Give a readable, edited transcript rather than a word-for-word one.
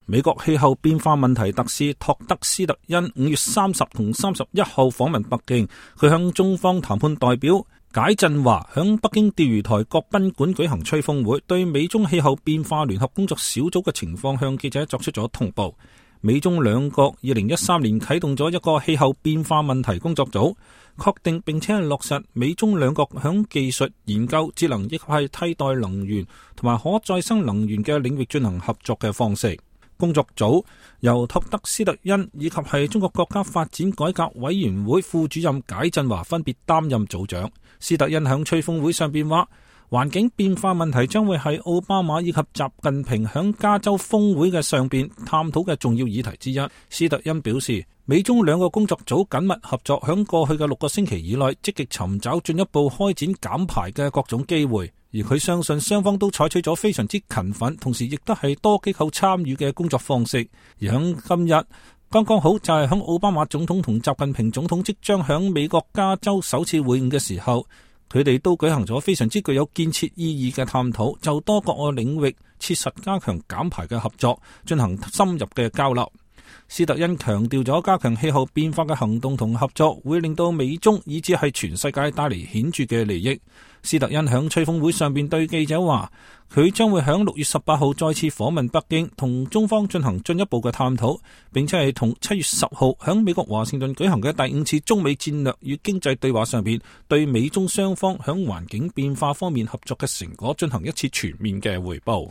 美國氣候變化問題特使托德斯特恩5月30同31號訪問北京，佢向中方談判代表解振華響北京釣魚台國賓館舉行吹風會，對美中氣候變化聯合工作小組嘅情況向記者作出咗通報。美中兩國2013年啟動咗一個氣候變化問題工作組，確定並且係落實美中兩國響技術研究、節能以及係替代能源同埋可再生能源嘅領域進行合作嘅方式。工作組由托德斯特恩以及係中國國家發展改革委員會副主任解振華分別擔任組長。斯特恩響吹風會上邊話，環境變化問題將會係奧巴馬以及習近平響加州峰會嘅上邊探討嘅重要議題之一。斯特恩表示，美中兩個工作組緊密合作，響過去嘅6個星期以內積極尋找進一步開展減排嘅各種機會。而佢相信雙方都採取咗非常之勤奮，同時亦都係多機構參與嘅工作方式。而響今日剛剛好就係響奧巴馬總統同習近平總統即將響美國加州首次會晤嘅時候，佢哋都舉行咗非常之具有建設意義嘅探討，就多個領域切實加強減排嘅合作進行深入嘅交流。斯特恩強調咗加強氣候變化嘅行動同合作會令到美中以至係全世界帶嚟顯著嘅利益。斯特恩響吹風會上邊對記者話，佢將會響6月18號再次訪問北京，同中方進行進一步嘅探討，並且係同7月10號響美國華盛頓舉行嘅第5次中美戰略與經濟對話上邊，對美中雙方響環境變化方面合作嘅成果進行一次全面嘅匯報。